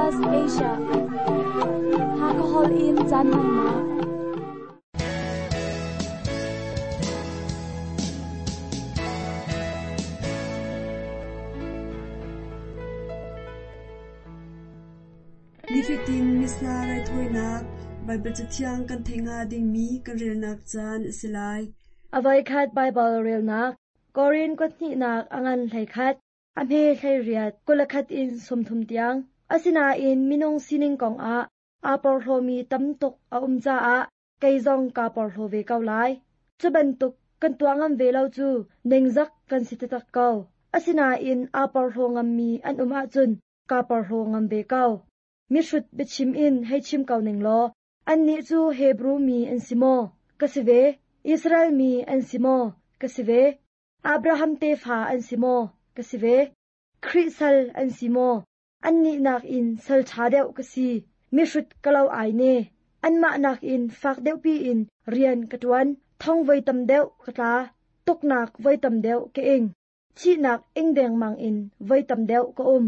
SBS Asia. Hakahol in caan hmannak. Nifatin Missa raithawinak Baibal Cathiang kan theih hnga dingmi kan relnak caan a si lai. A voikhat Baibal relnak Korin kuathnihnak a ngan 11, a hme 18, 21 in 30 tiang. Asinain minung sining kongah aa porhlawmi tam tuk a um caah kei zong kaa porhlaw ve ko lai. Cu bantuk kan tuah ngam ve lo cu ningzak kan si taktak ko. Asinain aa porhlaw ngammi an um ahcun kaa porhlaw ngam ve ko. Mihrut biachim in hei chim ko ning law, annih cu Hebru mi an si maw? Ka si ve. Israel mi an si maw? Ka si ve. Abraham tefa an si maw? Ka si ve. Khrih sal an si maw? Annih nakin sal ṭha deuh ka si. Mihrut ka lo ai ne. Anmah nakin fak deuhpi in rian ka ṭuan. Thong voi tam deuh ka tla. Tuknak voi tam deuh ka ing. Thihnak ing dengmang in voi tam deuh ka um.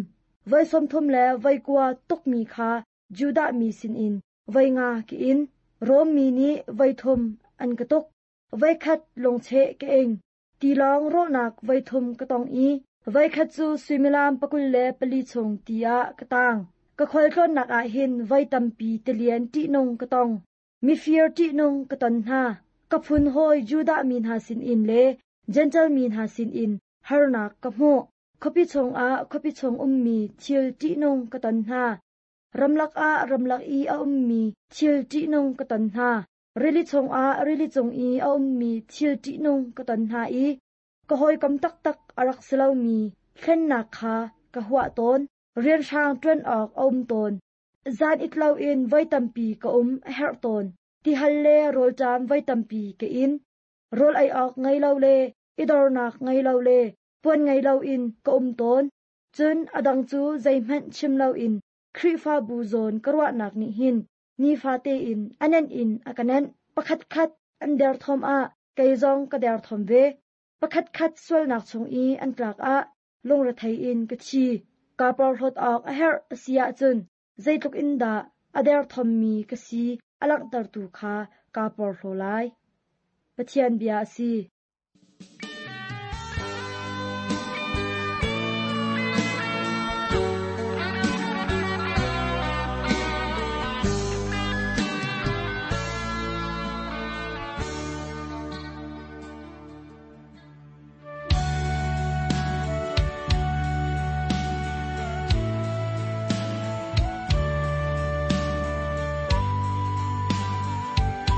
Voi 30 le voi 9 tukmi kha Judah mi sinin voi 5 ka in. Rom mi nih voi 3 an ka tuk. Voi khat lungcheh ka ing. Tilawng rawhnak voi 3 ka tong i voi khat cu suimilam 24 chung ti ah ka tang. Ka khualtlawnnak ah hin voi tampi tilian ṭihnung ka tong. Mifir ṭihnung ka ton hna. Ka phun hawi Judah mi hna sinin le Jentail mi hna sinin harnak ka hmuh. Khuapi chungah khuapi chung ummi thil ṭihnung ka ton hna. Ramlak ah ramlak i a ummi thil ṭihnung ka ton hna. Rili chungah rili cung i a ummi thil ṭihnung ka ton hna i ka hawikom taktak a rak si lomi hlennak kha ka huah tawn. Rianhrang ṭuan awk a um tawn. Zan it loin voi tampi ka um a herh tawn. Tihal le rawlṭam voi tampi ka in. Rawl ei awk ngei lo le i dornak ngei lo le puan ngei loin ka um tawn. Cun a dang cu zeihmanh chim loin Khrihfabu zawn ka ruahnak nih hin nifate in a nenh in a ka nenh. Pakhatkhat an derthawm ah kei zong ka derthawm ve. Pakhatkhat sualnak chung i an tlak ah lungrethei in ka thi. Kaa porhlawt awk a herh a si ahcun zeitluk in dah a derthawmmi ka si a langhtertu kha kaa porhlaw lai. Pathian bia a si.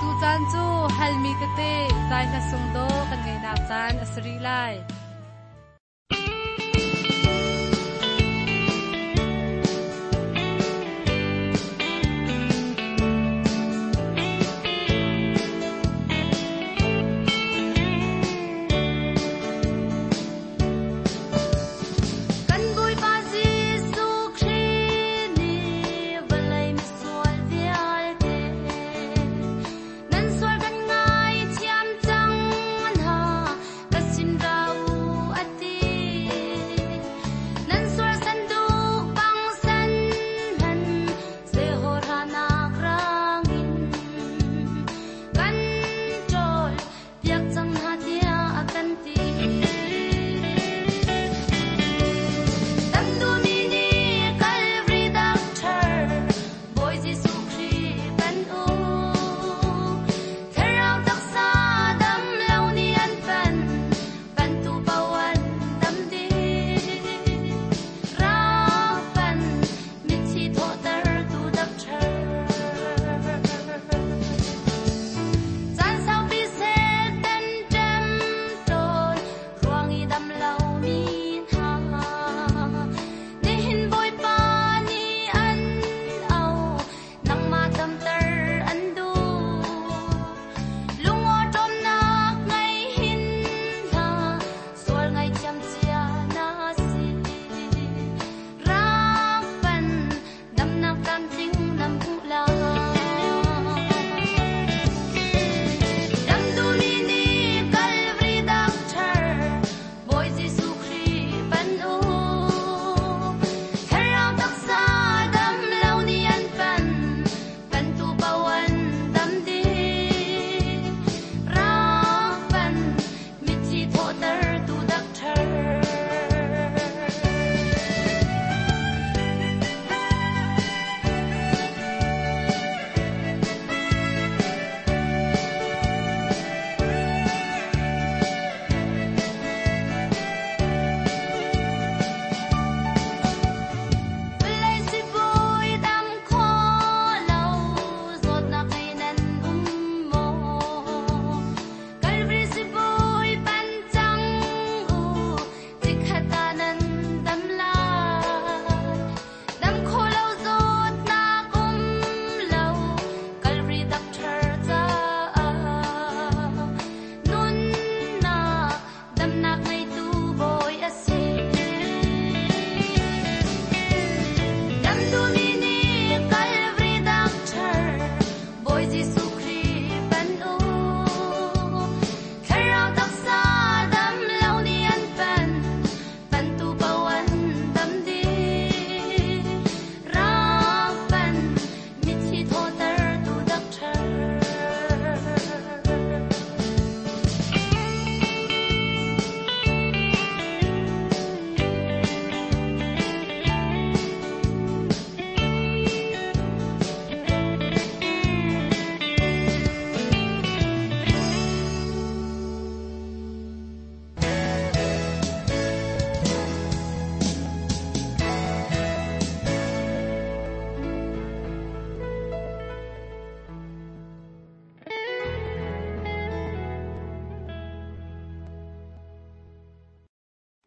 Tucaan cu halmi tete zai hla sung dawh kan ngeihnak caan a si rih lai. Kan Bawipa Jesuh Khrih nih vawlei misual vialte nan sual kan ngaithiam cang hna, ka sin ra u.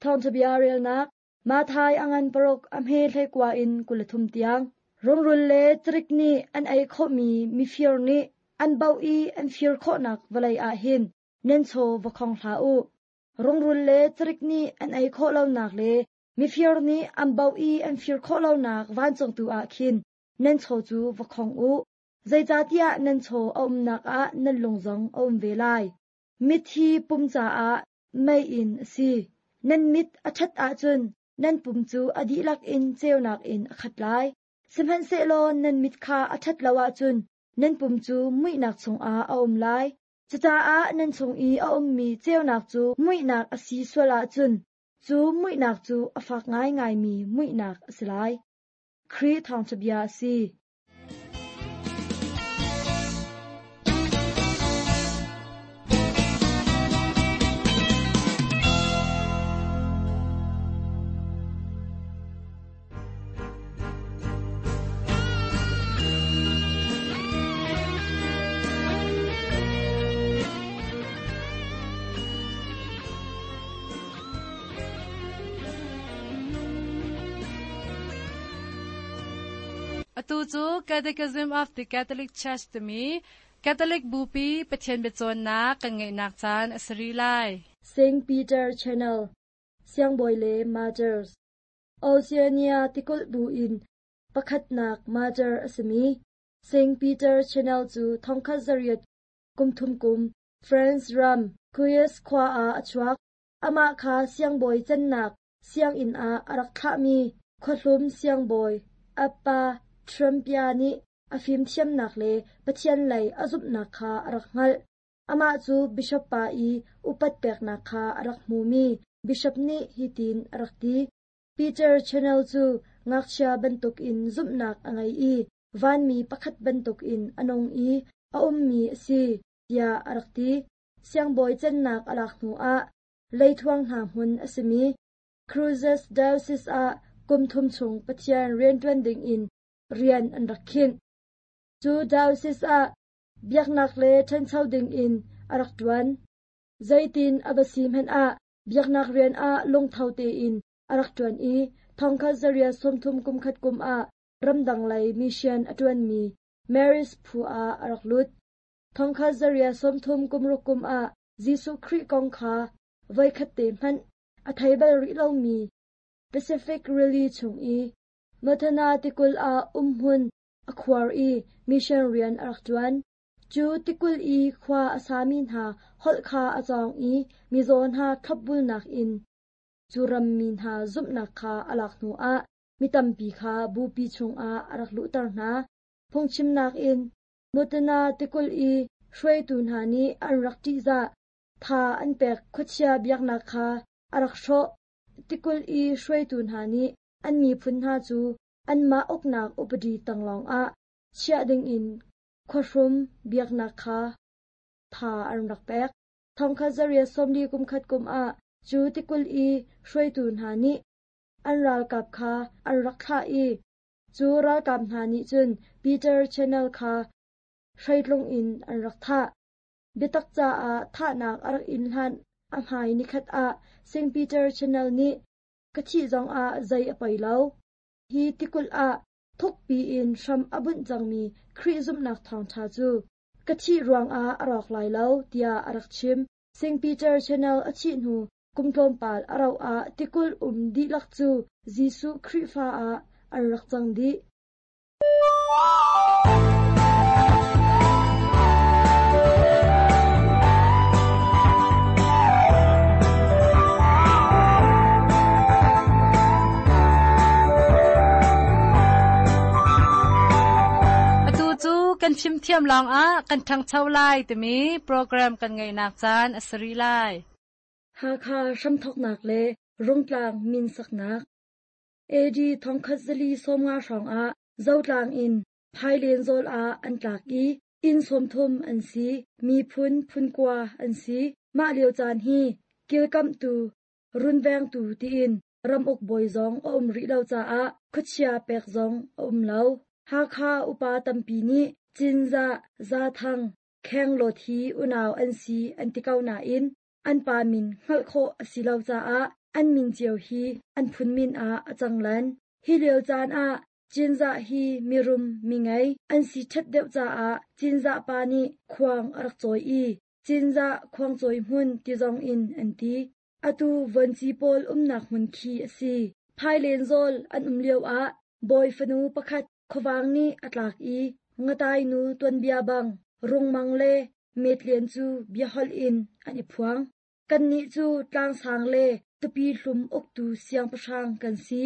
Thawngṭha bia relnak Matthai a ngan paruk a hme 19 in 23 tiang. Rungrul le cirik nih an ei khawhmi mifir nih an bauh i an fir khawhnak vawlei ah hin nan chaw va khong hlah u. Rungrul le cirik nih an ei khawh lonak le mifir nih an bauh i an fir khawh lonak vancung tu ah khin nan chaw cu va khong u. Zeicahtiah nan chaw a umnak ah nan lung zong a um ve lai. Mithi pum caah meiinn a si. Nan mit a ṭhat ahcun nan pum cu a dihlak in ceunak in a khat lai. Sihmanhsehlaw nan mit kha a ṭhat lo ahcun nan pum cu muihnak chungah a um lai. Cucaah nan chung i a ummi ceunak cu muihnak a si sual ahcun cu muihnak cu a fak ngaingaimi muihnak a si lai. Khrih Thawngṭha Bia a si. Atu cu Catechism of the Catholic Church timi Catholic Bupi Pathian biacawnnak kan ngeihnak caan a si rih lai. St. Peter Channel, Siangbawi le Martyrs, Oceania tikulh bu in pakhatnak martyr a simi St. Peter Channel cu thongkhat zariat kum thum kum France ram Cuyes khua ah a chuak. Amah kha siangbawi cannak sianginn ah a rak thlahmi khuahlum siangbawi Appa Trumpia nih a fimthiamnak le Pathian lei a zumhnak kha a rak hngalh. Amah cu bishop pa i upat peknak kha a rak hmumi bishop nih hitin a rak ti, Peter Channel cu ngakchia bantukin zumhnak a ngei i vanmi pakhat bantukin a nung i a ummi a si, tiah a rak ti. Siangbawi cannak a lak hnuah leithuang hna hmun a simi Cruces Diocese ah kum thum chung Pathian rianṭuan dingin rian an rak khinh. Cu diocese ah biaknak le ṭhancho dingin a rak ṭuan. Zeitin a va si hmanh ah biaknak rian ah lungtho tein a rak ṭuan i thongkhat zariat 30 kum khat kum ah ramdang lei mission a ṭuanmi Mary's phu ah a rak lut. Thongkhat zariat 30 kum ruk kum ah Jesuh Khrih kong kha voikhat te hmanh a thei bal rih lomi Pacific Rili chung i Montana tikulh ah umhmun a khuar i mission rian a rak ṭuan. Cu tikulh i khua a sami hna holh kha a cawng i mizaw hna thlopbulnak in cu rammi hna zumhnak kha a lak hnuah mi tampi kha bupi chungah a rak luhter hna. Phungchimnak in Montana tikulh i hruaitu hna nih an rak ṭihzah, tha an pek khuachia biaknak kha a rak hrawh. Tikulh i hruaitu hna nih an miphun hna cu anmah uknak upadi tang lawngah chiah dingin khuahrum biaknak kha tha an rak pek. Thongkhat zariat 40 kum khat kum ah cu tikulh i hruaitu hna nih an ralkap kha an rak thlah i cu ralkap hna nih cun Peter Channel kha hreitlung in an rak thah. Biatak caah thahnak a rak in hlan a hmai nikhat ah St. Peter Channel nih ka thih zongah zei a poi lo. Hi tikulh ah thukpi in hram a bunh cangmi Khrih zumhnak thawngṭha cu ka thih ruangah a rawk lai lo tiah a rak chim. St. Peter Channel a thih hnu kum tlawmpal a rauh ah tikulh um dihlak cu Jesuh Khrihfa ah an rak cang dih. Atu cu kan fimthiam lawngah kan ṭhangcho lai timi program kan ngeihnak caan a si rih lai. Hakha hramthawknak le Rungtlang min saknak AD 1450 hrawngah Zotlang in Phailen zawl ah an tlak i inn 30 an si, miphun phunkua an si. Mah lio caan hi kilkamhtu, runvengtu tiin ramuk bawi zong a um rih lo caah khuachia pek zong a um lo. Hakha upa tampi nih Cinzah, Zathang, Khenglawt hi unau an si an ti ko nain an pa min hngalh khawh a si lo caah An min cio hi an phun min ah a cang lan. Hi lio caan ah Cinzah hi mirum mingei an si ṭhat deuh caah Cinzah pa nih khuang a rak cawi i Cinzah khuangcawi hmun ti zong in an ti. Atu vuanci pawl umnak hmun khi a si. Phailen zawl an um lioah bawi fanu pakhat khuavang nih a tlak i ngatai nu tuanbia bang rungmang le metlian cu biaholh in an i phuang. Kannih cu tlangsang le tupi hlum uktu siangpahrang kan si.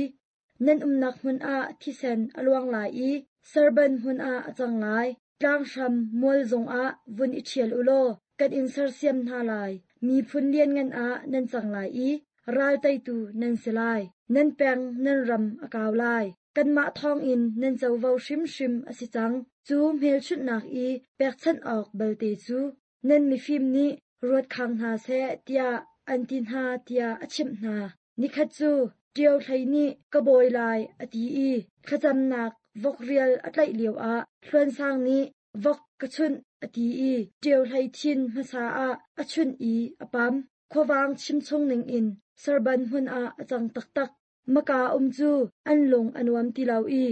Nan umnak hmun ah thisen a luang lai i serban hmun ah a cang lai. Tlanghram mual zongah vun i ṭhial u law kan in sersiam hna lai. Miphun lianngan ah nan cang lai i ral teitu nan si lai. Nan peng nan ram a kau lai. Kanmah thawngin nan covo hrimhrim a si cang. Cu hmelchunhnak i pekchanh awk balte cu nan mifim nih ruat khang hna seh tiah an ti hna tiah a chimh hna. Nikhat cu Ṭio Hlei nih ka bawi lai a ti i thlacamnak vok rial a tlaih lioah Hluan Sang nih vok ka chunh a ti i Ṭio Hlei thin hmasa ah a chunh i a pam. Khuavang chimchung ningin Serban hmun ah a cang taktak. Maka um cu an lung a nuam ti lo i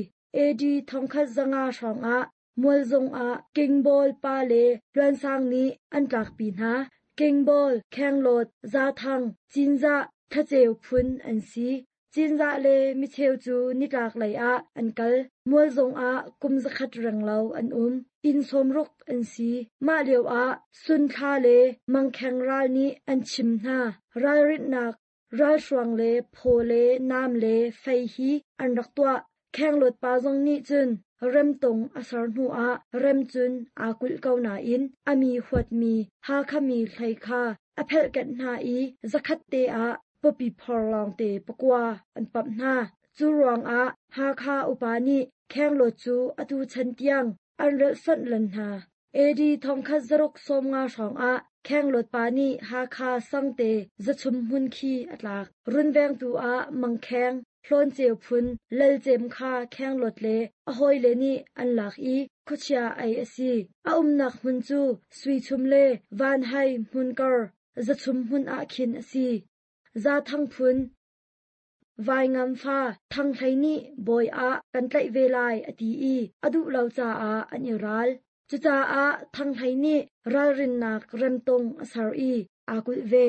AD 1500 hrawngah Mualzung ah Kingbawl pa le Hluansang nih an tlakpi hna. Kingbawl, Khenglawt, Zathang, Cinzah, Thlaceu phun an si. Cinzah le micheu cu nitlak lei ah an kal. Mualzung ah kum zakhat renglo an um. Inn sawmruk an si. Mah lio ah Sunthla le Mangkheng ral nih an chim hna. Ralrinhnak Ralhruang le phaw le nam le fei hi an rak tuah. Khenglawt pa zong nih cun remtung a ser hnuah rem cun aa kulh ko nain a mi huatmi Hakha mi hlei kha a phelhkenh hna i zakhat te ah pawpi phor lawngte pakua an pamh hna. Cu ruangah Hakha upa nih Khenglawt cu atu chan tiang an relhsonh len hna. AD 1650 hrawngah Khenglawt pa nih Hakha Sangte Zachum hmun khi a tlak. Runvengtu ah Mangkheng, Hlawnceu phun Lalcem kha Khenglawt le a hawile nih an lak i khuachia ei a si. A umnak hmun cu Suichum le Vanhai hmunkar Zachum hmun ah khin a si. Zathang phun Vaingam fa Thang Hlei nih bawi ah kan tlaih ve lai a ti i a duh lo caah an i ral. Cucaah Thang Hlei nih ralrinnak remtung a ser i aa kulh ve.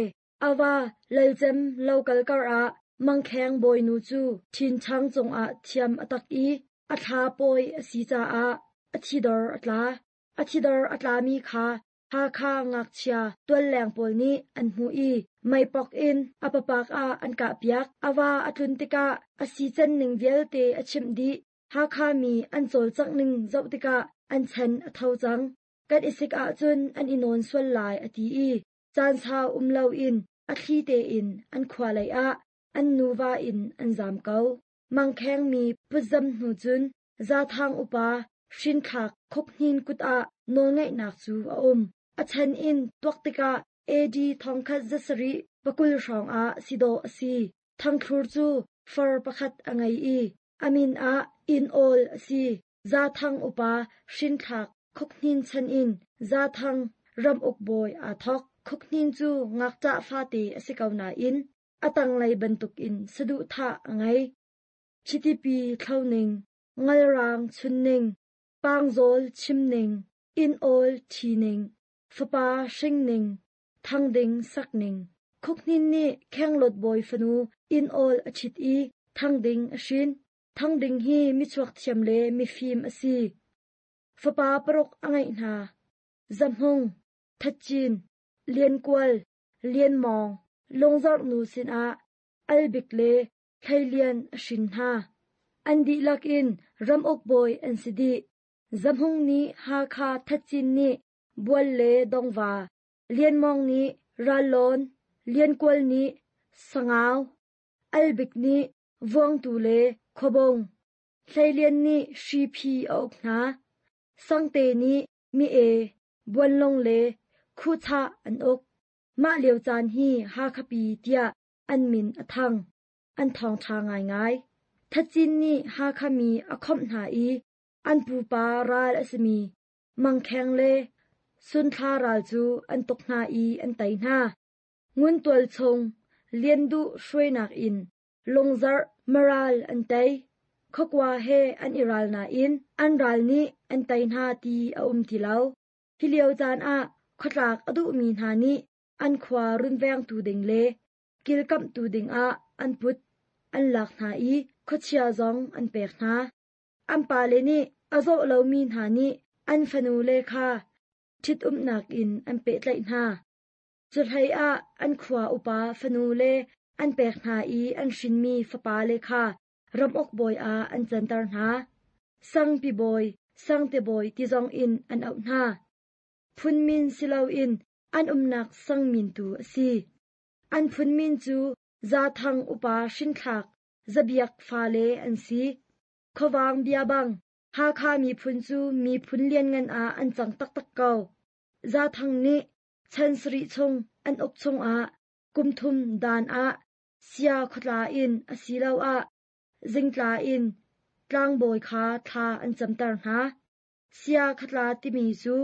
A va Lalcem lokal karah Mangkheng bawinu cu ṭhinṭhang cungah thiam a tak i a thla pawi a si caah a thidor a tla. A thidor a tlami kha Hakha ngakchia tualleng pawl nih an hmuh i meipok in a papak ah an kahpiak. A va a tlun tikah a sican ning vialte a chimh dih. Hakha mi an cawlcangh ning zoh tikah an chan a tho cang. Kan i sik ahcun an i nawn sual lai a ti i caan sau um loin a thli tein an khua lei ah an nuva in an zaam ko. Mangkheng mi putzam hnu cun Zathang upa hrinthlak Khukhnin kut ah nawlngeihnak cu a um. A chan in tuak tikah AD 1720 hrawngah si dawh a si. Thangthlur cu far pakhat a ngei i a min ah Inn Awl a si. Zathang upa hrinthlak Khukhnin chan in Zathang ramuk bawi aa thawk. Khukhnin cu ngakṭah fate a si ko nain a tanglei bantukin saduhthah a ngei. Chitipi thloning, ngalrang chunning, pangzawl chimning, inn awl ṭhining, fapa hringning, thangding sakning. Khukhnin nih Khenglawt bawi fanu inn awl a ṭhit i thangding a hrin. Thangding hi michuak thiam le mifim a si. Fapa paruk a ngeih hna. Zahmung, Thatcin, Liankual, Lianmawng, Lungzarh nu sinah Albik le Hleilian a hrin hna. An dihlak in ramuk bawi an si dih. Zahmung nih Hakha Thatcin nih Bual le Dongva, Lianmawng nih Rallawn, Liankual nih Sangau, Albik nih Vuangtu le Khuabung, Hleilian nih Hriphi a uk hna. Sangte nih Mi-e, Buanlung le Khuhchah an uk. Mah lio caan hi Hakhapi tiah an min a thang. An thawngṭha ngaingai. Thacin nih Hakha mi a khawmh hna i an pupa ral a simi Mangkheng le Sunthla ral cu an tuk hna i an tei hna. Nguntual chung. Lian Duh hruainak in Lungzarh Maral an tei. Khuakua he an i ral nain an ral nih an tei hna ti a um ti lo. Hi lio caan ah khuatlak a duhmi hna nih an khua runvengtu ding le kilkamhtu dingah an put an lak hna i khuachia zong an pek hna. An pale nih a zawh lomi hna nih an fanule kha ṭhitumnak in an pehtlaih hna. Cuhlei ah an khua upa fanule an pek hna i an hrinmi fapale kha ramuk bawi ah an canter hna. Sangpi bawi, sangte bawi ti zong in an auh hna. Phunmin si loin an umnak sangmin tu a si. An phunmin cu Zathang upa hrinthlak Zabiak fale an si. Khuavang bia bang, Hakha miphun cu miphun lianngan ah an cang taktak ko. Zathang nih chan sarih chung an uk chungah kum thum dan ah sia khuatla in asiloah zingtla in tlangbawi kha thla an camter hna. Sia khatla timi cu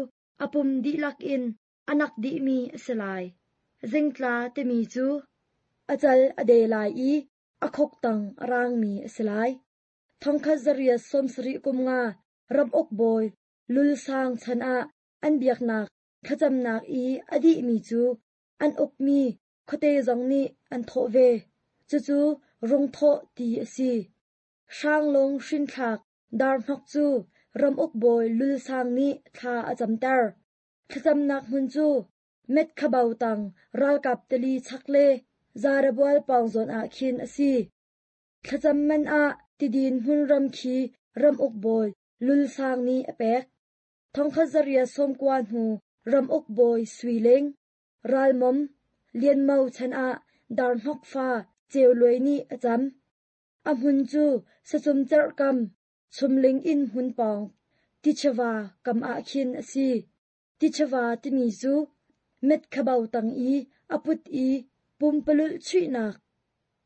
a pum dihlak in a nak dihmi a si lai. Zingtla timi cu a cal a de lai i a khuk tang a raangmi a si lai. Thongkhat zariat sawmsarih kum nga ramuk bawi Lulsang chan ah an biaknak thlacamnak i a dihmi cu an ukmi khuate zong nih an thawh ve. Cucu rungthawh ti a si. Hranglung hrinthlak darhnok cu ramuk bawi Lulsang nih thla a camter. Thlacamnak hmun cu Metkhabau tang ralkap tili chak le Zarabual pawng zawn ah khin a si. Thlacam man ah tidin hmunram khi ramuk bawi Lulsang nih a pek. Thongkhat zariat sawmkua hnu ramuk bawi Sui Ling, Ralmom, Lianmo chan ah Darhnok fa Ceu Luai nih a cam. A hmun cu sacum cerhkam Chumling inn hmun pawng Tichava kam ah khin a si. Tichava timi cu Metkhabau tang i a put i pumpalulh chuihnak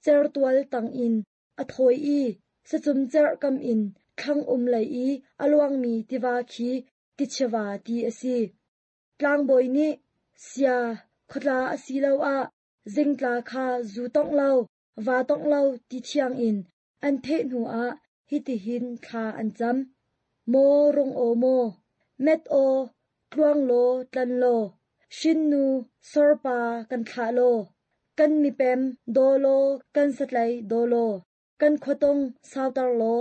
certual tang in a thawi i sacum cerhkam in thlang um lei i a luangmi tiva khi Tichava ti a si. Tlangbawi nih sia khuatla asiloah zingtla kha zu tongh lo, va tongh lo ti thiang in an theh hnuah hitihin thla an cam. Maw rung aw maw, met aw, tluang law tlan law, hrinnu sorpa kan thlah law, kan mipem daw law kan satlei daw law, kan khuatung sauter law,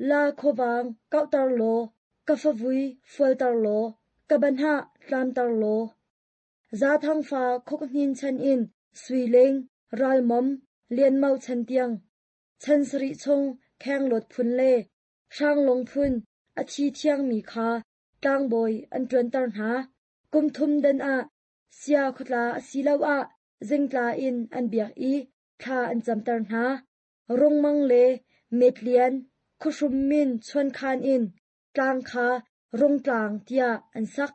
la khuavang kauhter law, ka favui fualter law, ka banhah tlamter law. Zathang fa Khukhnin chan in Suiling, Ralmom, Lianmo chan tiang chan sarih chung Khenglawt phun le Hranglung phun a thi thiangmi kha tlangbawi an ṭuanter hna. Kum thum dan ah sia khuatla asiloah zingtla in an biak i thla an camter hna. Rungmang le Metlian, khuahrum min chuankhan in tlang kha Rungtlang tiah an sak.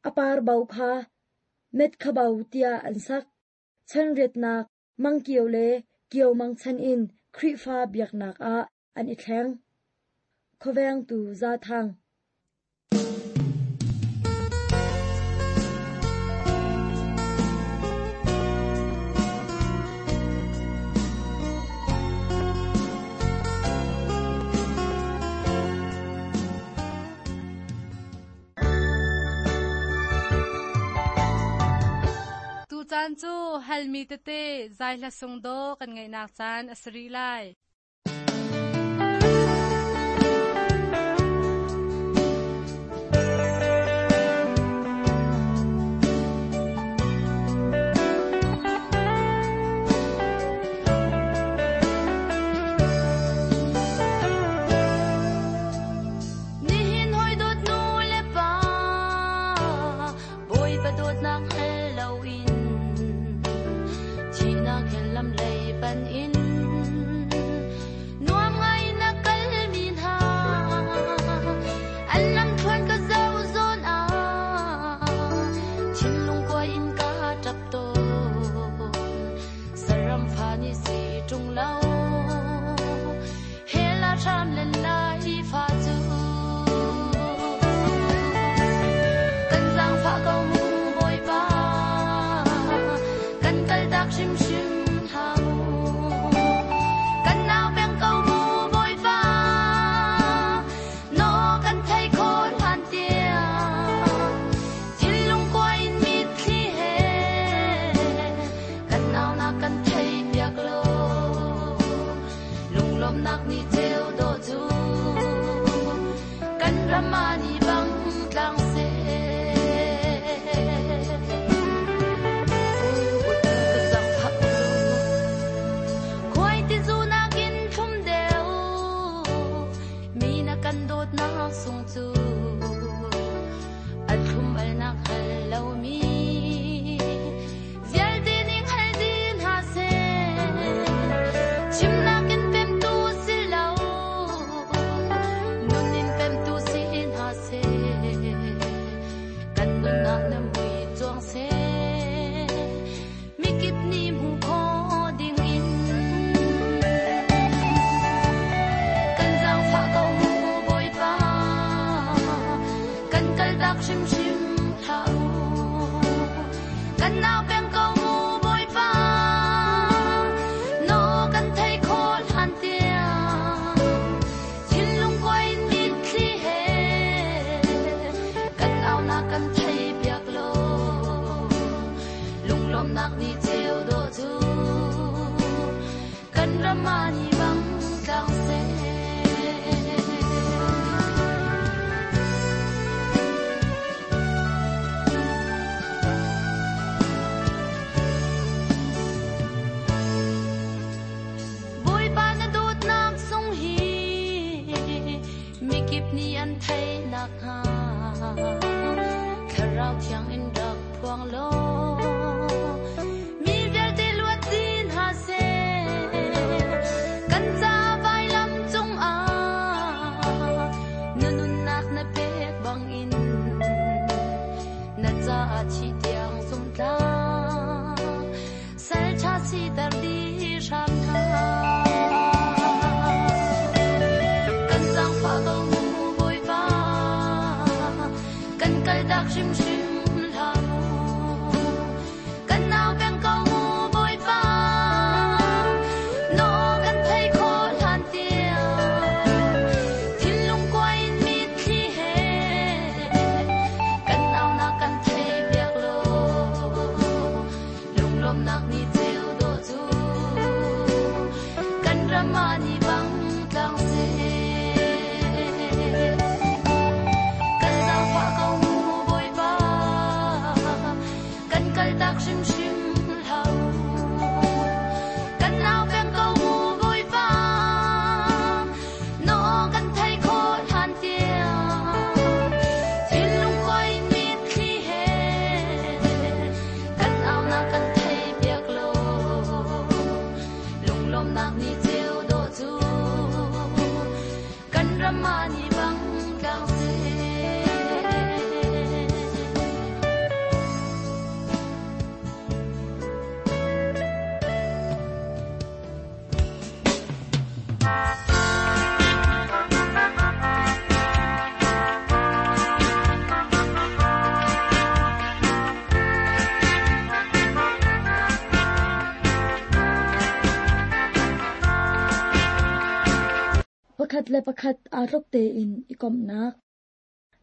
A par bo kha Metkhabau tiah an sak. Chanriatnak Mangkio le Kiomang chan in Khrihfa biaknak ah an i thleng. Khuavengtu Zathang. Tucaan cu halmi tete zaihla sungdaw kan ngeihnak caan a si rih lai. Nihin hawi dawt nu le pa, Bawipa dawtnak hngal loin, thihnak he lam lei pan in. Ramani bang tlang seh. Ka zaangfah ko law, khuai tizu nakin thlum deuh, mi na kan dawtnak sung cu a thlum alnak hal lomi vialte ning hal dih hna seh. Chimnak in pemtu si lo, nun in pemtu si hna seh. Kan nunnak na mui cuang seh, mikip nih hmu khawh ding in. Kan zaangfah ko mu Bawipa, kan kaltak hrimhrim hlah u. Kan nau peng ko mu Bawipa, naw kan thei khawh hlan tiang. Thinlung kuai in mitthli he, kan aunak kan thei piak law. Lunglawmhnak ni ceu dawh cu, kan ram ah ni bang tlang seh. Bawipa na dawtnak sung hi mikip nih an theih nakhnga Thlarau Thiang in rak phuang law mi vialte luat dih hna seh. Kan ca vailam cungah na nunnak na pek bangin na caah thi tiang zumtlang sal ṭha siter dih hram hna. Kan zaangfah ko mu Bawipa, kan kaltak hrimhrim hlah mu. Kan nau peng ko mu Bawipa, naw kan thei khawh hlan tiang. Thinlung kuai in mitthli he, kan aunak kan thei piak law. Lunglawmhnak ni ceu dawh cu, kan ram ah ni bang tlang seh. Kan zaangfah ko mu Bawipa, kan kaltak hrimhrim hlah u. Kan nau peng ko mu Bawipa, naw kan thei khawh hlan tiang. Thinlung kuai in mitthli he, kan aunak kan thei piak law. Lunglawmhnak ni ceu dawh cu, kan ram ah ni bang tlang seh. Pakhat le pakhat aa tluk tein i komhnak.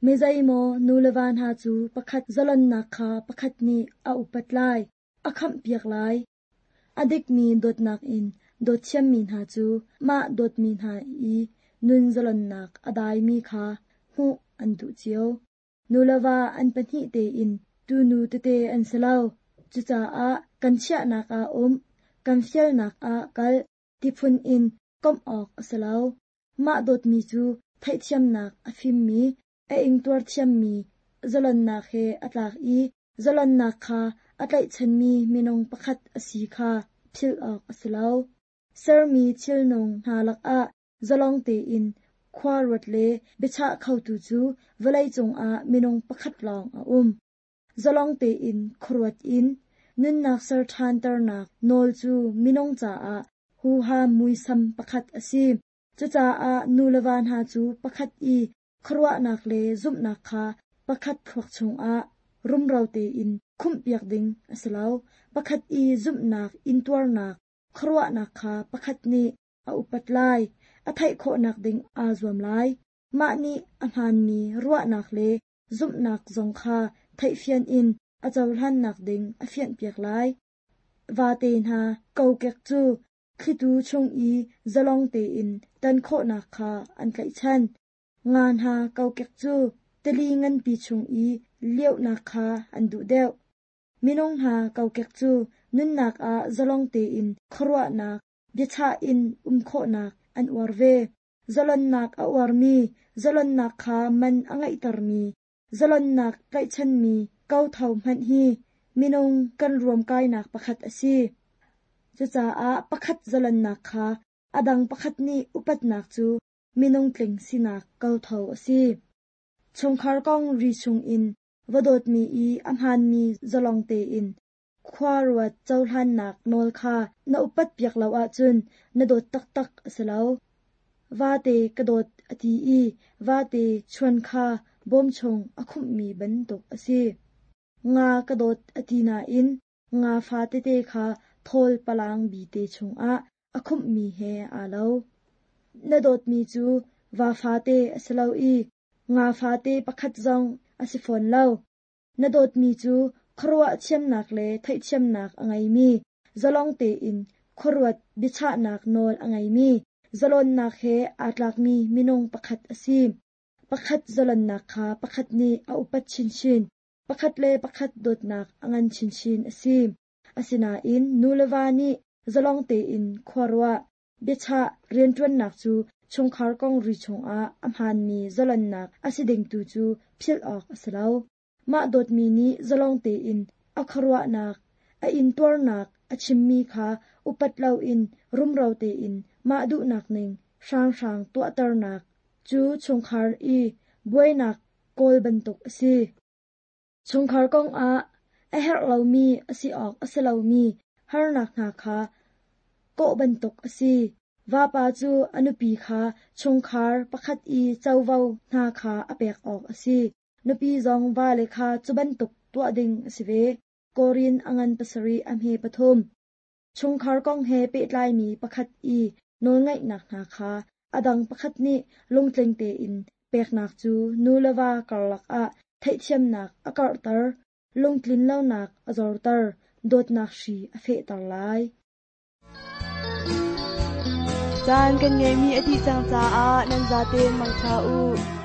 Mi zeimaw nu le va hna cu pakhat zalonnak kha pakhat nih a upat lai, a khamhpiak lai. A dikmi dawtnak in dawt thiammi hna cu mah dawtmi hna i nun zalonnak a daimi kha hmuh an duh cio. Nu le va an pahnih tein tunu tete an si lo. Cucaah kan chiahnak ah um, kan fialnak ah kal, tiphun in komh awk a si lo. Mah dawtmi cu theihthiamnak a fimmi, a ingtuar thiammi, zalonnak he a tlak i zalonnak kha a tlaihchanmi minung pakhat a si kha philh awk a si lo. Sermi thilnung hna lakah zalong tein khua ruat le biachah khotu cu vawlei cungah minung pakhat lawng a um. Zalong tein khuaruat in nunnak ser ṭhanternak nawl cu minung caah huham muisam pakhat a si. Cucaah nu le va hna cu pakhat i khuaruahnak le zumhnak kha pakhat thluak chungah rumro tein khumhpiak ding a si lo. Pakhat i zumhnak, intuarnak, khuaruahnak kha pakhat nih a upat lai, a theih khawhnak ding aa zuam lai. Mah nih a hmaanmi ruahnak le zumhnak zong kha theihfian in a cohlannak ding a fianhpiak lai. Vate hna kokek cu thlitu chung i zalong tein tan khawhnak kha an tlaihchan. Nga hna kokek cu tili nganpi chung i liohnak kha an duh deuh. Minung hna kokek cu nunnak ah zalong tein khuaruahnak, biachah in um khawhnak an uar ve. Zalonnak a uarmi, zalonnak kha man a ngeihtermi, zalonnak tlaihchanmi kotho hmanh hi minung kan ruamkainak pakhat a si. Cucaah pakhat zalonnak kha a dang pakhat nih upatnak cu minung tling sinak kotho a si. Chungkhar kong ri chungin va dawtmi i a hmaanmi zalong tein khua ruat cohlannak nawl kha na upat piak lo ahcun na dawt taktak a si lo. Vate ka dawt a ti i vate chuan kha bawm chung a khumhmi bantuk a si. Nga ka dawt a ti nain nga fatete kha thawl palang bite chungah a khumhmi he aa lo. Na dawtmi cu va fate a si lo i nga fate pakhat zong a si fawn lo. Na dawtmi cu khuaruah thiamnak le theihthiamnak a ngeimi, zalong tein khuaruat biachahnak nawl a ngeimi, zalonnak he aa tlakmi minung pakhat a si. Pakhat zalonnak kha pakhat nih a upat chinchin. Pakhat le pakhat dawtnak a ngan chinchin a si. Asinain nu le va nih zalong tein khuaruah, biachah rianṭuannak cu chungkhar kong ri chungah a hmaanmi zalonnak a si ding tu cu philh awk a si lo. Mah dawtmi nih zalong tein a khuaruahnak, a intuarnak a chimmi kha upat loin rumro tein mah duhnak ning hranghrang tuahternak cu chungkhar i buainak kawl bantuk a si. Chungkhar kongah a herh lomi a si awk a si lomi harnak hna kha kawh bantuk a si. Vapa cu a nupi kha chungkhar pakhat i covo hna kha a pek awk a si. Nupi zong vale kha cu bantuk tuah ding a si ve. Korin a ngan pasarih a hme pathum. Chungkhar kong he pehtlaimi pakhat i nawlngaihnak hna kha a dang pakhat nih lungtling tein peknak cu nu le va karlak ah theihthiamnak a karhter, lungtlinlonak a zorter, dawtnak hri a fehter lai. Caan kan ngeihmi a dih cang caah nan zaten mangṭha u.